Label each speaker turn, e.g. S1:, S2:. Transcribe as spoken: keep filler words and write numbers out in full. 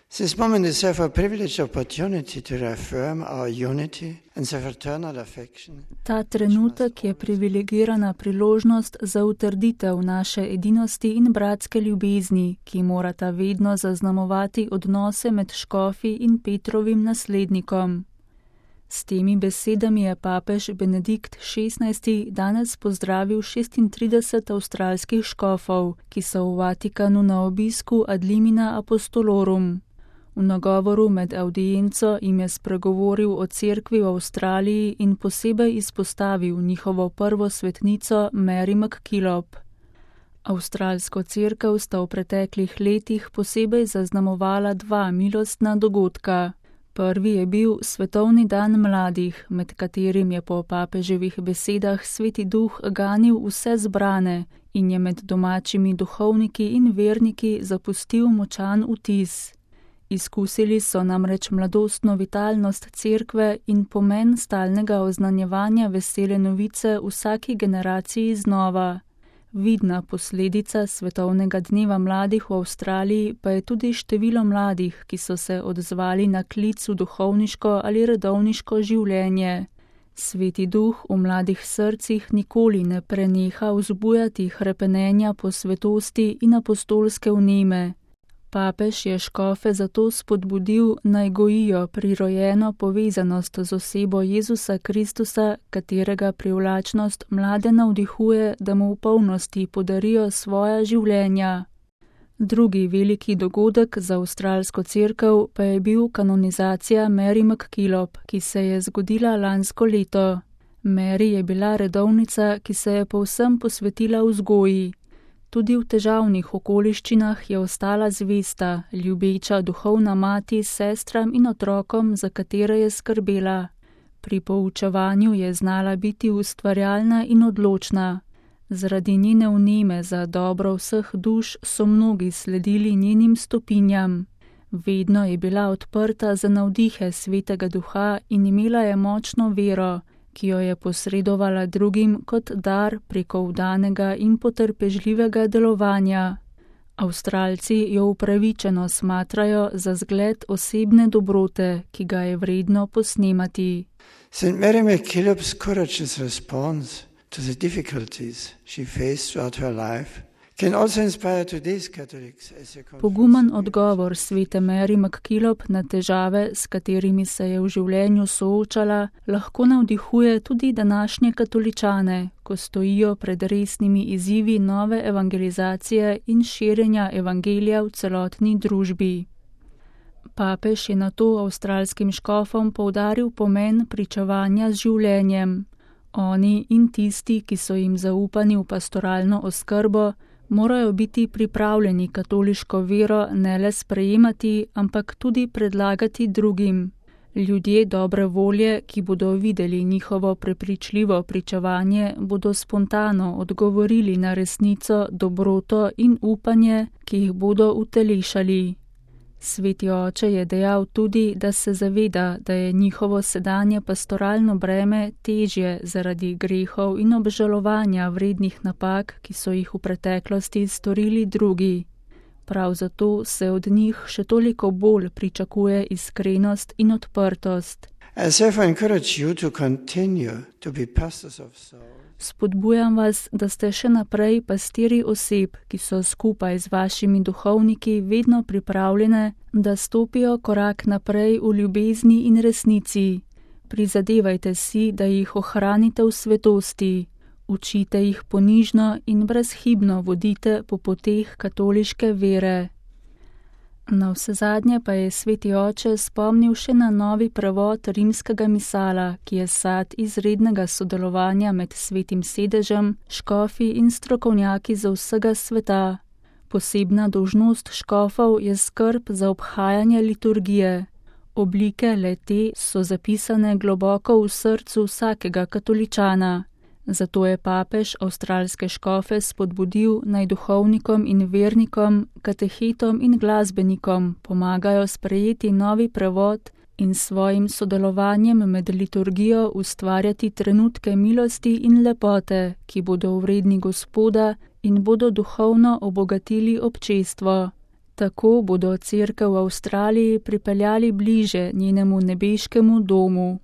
S1: This moment is therefore a privileged opportunity to reaffirm our unity and the fraternal affection.
S2: Ta trenutek je privilegirana priložnost za utrditev naše edinosti in bratske ljubezni, ki morata vedno zaznamovati odnose med škofi in Petrovim naslednikom. S temi besedami je papež Benedikt šestnajsti danes pozdravil šestintrideset avstralskih škofov, ki so v Vatikanu na obisku ad limina apostolorum. V nagovoru med avdienco jim je spregovoril o cerkvi v Avstraliji in posebej izpostavil njihovo prvo svetnico Mary MacKillop. Avstralsko cerkev sta v preteklih letih posebej zaznamovala dva milostna dogodka. Prvi je bil Svetovni dan mladih, med katerim je po papeževih besedah Sveti Duh ganil vse zbrane in je med domačimi duhovniki in verniki zapustil močan vtis. Izkusili so namreč mladostno vitalnost cerkve in pomen stalnega oznanjevanja vesele novice vsaki generaciji znova. Vidna posledica Svetovnega dneva mladih v Avstraliji pa je tudi število mladih, ki so se odzvali na klic v duhovniško ali redovniško življenje. Sveti Duh v mladih srcih nikoli ne preneha vzbujati hrepenenja po svetosti in apostolske vneme. Papež je škofe zato spodbudil, naj gojijo prirojeno povezanost z osebo Jezusa Kristusa, katerega privlačnost mlade navdihuje, da mu v polnosti podarijo svoja življenja. Drugi veliki dogodek za avstralsko cerkev pa je bil kanonizacija Mary MacKillop, ki se je zgodila lansko leto. Mary je bila redovnica, ki se je povsem posvetila vzgoji. Tudi v težavnih okoliščinah je ostala zvesta, ljubeča duhovna mati sestram in otrokom, za katere je skrbela. Pri poučevanju je znala biti ustvarjalna in odločna. Zaradi njene vneme za dobro vseh duš so mnogi sledili njenim stopinjam. Vedno je bila odprta za navdihe Svetega Duha in imela je močno vero, ki jo je posredovala drugim kot dar preko vdanega in potrpežljivega delovanja. Avstralci jo upravičeno smatrajo za zgled osebne dobrote, ki ga je vredno posnemati.
S1: Saint Mary MacKillop's courageous response to the difficulties she faced throughout her life can also inspire today's Catholics as they confess.
S2: Pogumen odgovor svete Mary MacKillop na težave, s katerimi se je v življenju soočala, lahko navdihuje tudi današnje katoličane, ko stojijo pred resnimi izzivi nove evangelizacije in širjenja evangelija v celotni družbi. Papež je nato avstralskim škofom poudaril pomen pričevanja z življenjem. Oni in tisti, ki so jim zaupani v pastoralno oskrbo, morajo biti pripravljeni katoliško vero ne le sprejemati, ampak tudi predlagati drugim. Ljudje dobre volje, ki bodo videli njihovo prepričljivo pričevanje, bodo spontano odgovorili na resnico, dobroto in upanje, ki jih bodo utelešali. Sveti oče je dejal tudi, da se zaveda, da je njihovo sedanje pastoralno breme težje zaradi grehov in obžalovanja vrednih napak, ki so jih v preteklosti storili drugi. Prav zato se od njih še toliko bolj pričakuje iskrenost in odprtost.
S1: I therefore encourage you to continue to be pastors of souls.
S2: Spodbujam vas, da ste še naprej pastiri oseb, ki so skupaj z vašimi duhovniki vedno pripravljene, da stopijo korak naprej v ljubezni in resnici. Prizadevajte si, da jih ohranite v svetosti. Učite jih ponižno in brezhibno vodite po poteh katoliške vere. Navsezadnje pa je sveti oče spomnil še na novi prevod rimskega misala, ki je sad izrednega sodelovanja med svetim sedežem, škofi in strokovnjaki za vsega sveta. Posebna dolžnost škofov je skrb za obhajanje liturgije. Oblike le-te so zapisane globoko v srcu vsakega katoličana. Zato je papež avstralske škofe spodbudil, naj duhovnikom in vernikom, katehetom in glasbenikom pomagajo sprejeti novi prevod in svojim sodelovanjem med liturgijo ustvarjati trenutke milosti in lepote, ki bodo vredni Gospoda in bodo duhovno obogatili občestvo. Tako bodo cerkev v Avstraliji pripeljali bliže njenemu nebeškemu domu.